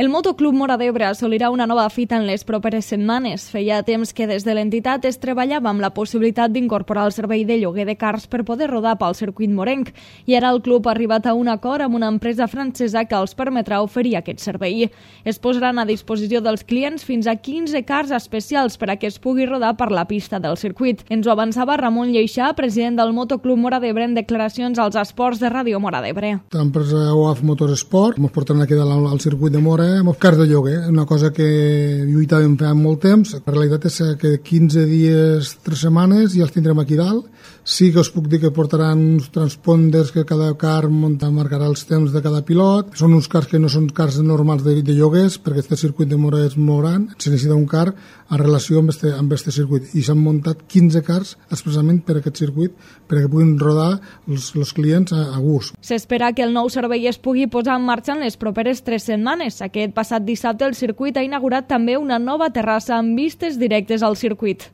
El Motoclub Móra d'Ebre assolirà una nova fita en les properes setmanes. Feia temps que des de l'entitat es treballava amb la possibilitat d'incorporar el servei de lloguer de cars per poder rodar pel circuit morenc, i ara el club ha arribat a un acord amb una empresa francesa que els permetrà oferir aquest servei. Es posaran a disposició dels clients fins a 15 cars especials per a que es pugui rodar per la pista del circuit. Ens ho avançava Ramon Lleixà, president del Motoclub Móra d'Ebre, en declaracions als esports de Ràdio Móra d'Ebre. L'empresa OAF Motorsport ens porten aquí al circuit de Móra cars de lloguer, una cosa que lluitàvem fa molt temps. La realitat és que 15 dies, 3 setmanes ja els tindrem aquí dalt. Sí que us puc dir que portaran uns transponders que cada car marcarà els temps de cada pilot. Són uns cars que no són cars normals de lloguers, perquè aquest circuit de Móra és molt gran. Se necessita un car en relació amb aquest circuit. I s'han muntat 15 cars expressament per aquest circuit, perquè puguin rodar els clients a gust. S'espera que el nou servei es pugui posar en marxa en les properes 3 setmanes. Aquest passat dissabte el circuit ha inaugurat també una nova terrassa amb vistes directes al circuit.